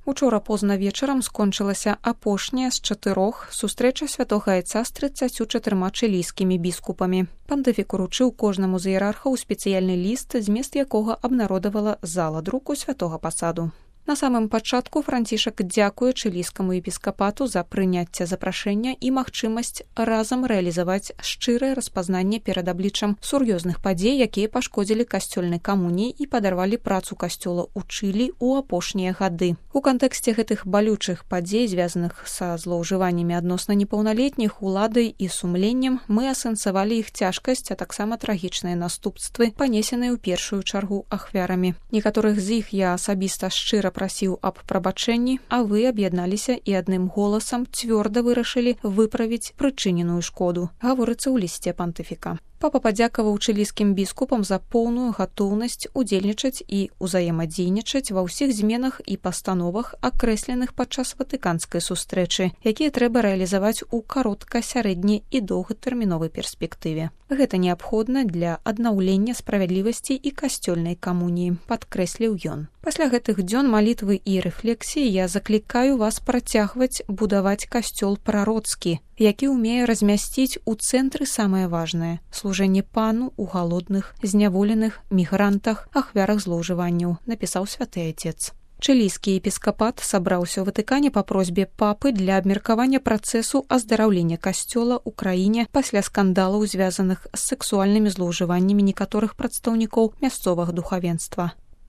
Учора позна вечарам скончылася апошняя з 4 сустрэча святога айца з 34 чылійскімі біскупамі. Пантыфік уручыў кожнаму з іерархаў спецыяльны ліст, змест якога абнародавала зала друку святога пасаду. На самым пачатку Францішак дзякуе чылійскаму епіскапату за прыняцце запрашэння і магчымасць разам рэалізаваць шчырае распазнанне перад абліччам сур'ёзных падзей, якія пашкодзілі касцёльнай камуніі і падарвалі працу касцёла ў Чылі ў апошнія гады. У кантэксце гэтых балючых падзей, звязаных са злоўжываннямі адносна непаўналетніх, уладай і сумленнем, мы асэнсавалі іх цяжкасць, а таксама трагічныя наступствы, панесеныя ў першую чаргу ахвярамі. Некаторых з іх я асабіста шчыра прасіў аб прабачэнні, а вы аб'ядналіся і адным голасам цвёрда вырашылі выправіць прычыненую шкоду, гаворыцца ў лісце пантыфіка. Папа падзякаваў чылійскім біскупам за поўную гатоўнасць удзельнічаць і ўзаемадзейнічаць ва ўсіх зменах і пастановах, акрэсленых падчас ватыканскай сустрэчы, якія трэба рэалізаваць у каротка-, сярэдні- і доўгатэрміновай перспектыве. Гэта неабходна для аднаўлення справядлівасці і касцёльнай камуніі, падкрэсліў ён. Пасля гэтых дзён малітвы і рэфлексіі я заклікаю вас працягваць будаваць касцёл прароцкі, які ўмее размясціць у цэнтры самае важнае – служэнне пану ў галодных, зняволеных, мігрантах, ахвярах злоўжыванняў, напісаў святы айцец. Чылійскі епіскапат сабраўся ў Ватыкане па просьбе папы для абмеркавання працэсу аздараўлення касцёла ў краіне пасля скандалаў, звязаных з сексуальнымі злоўжываннямі некаторых прадстаўнікоў мясцовага духавенства.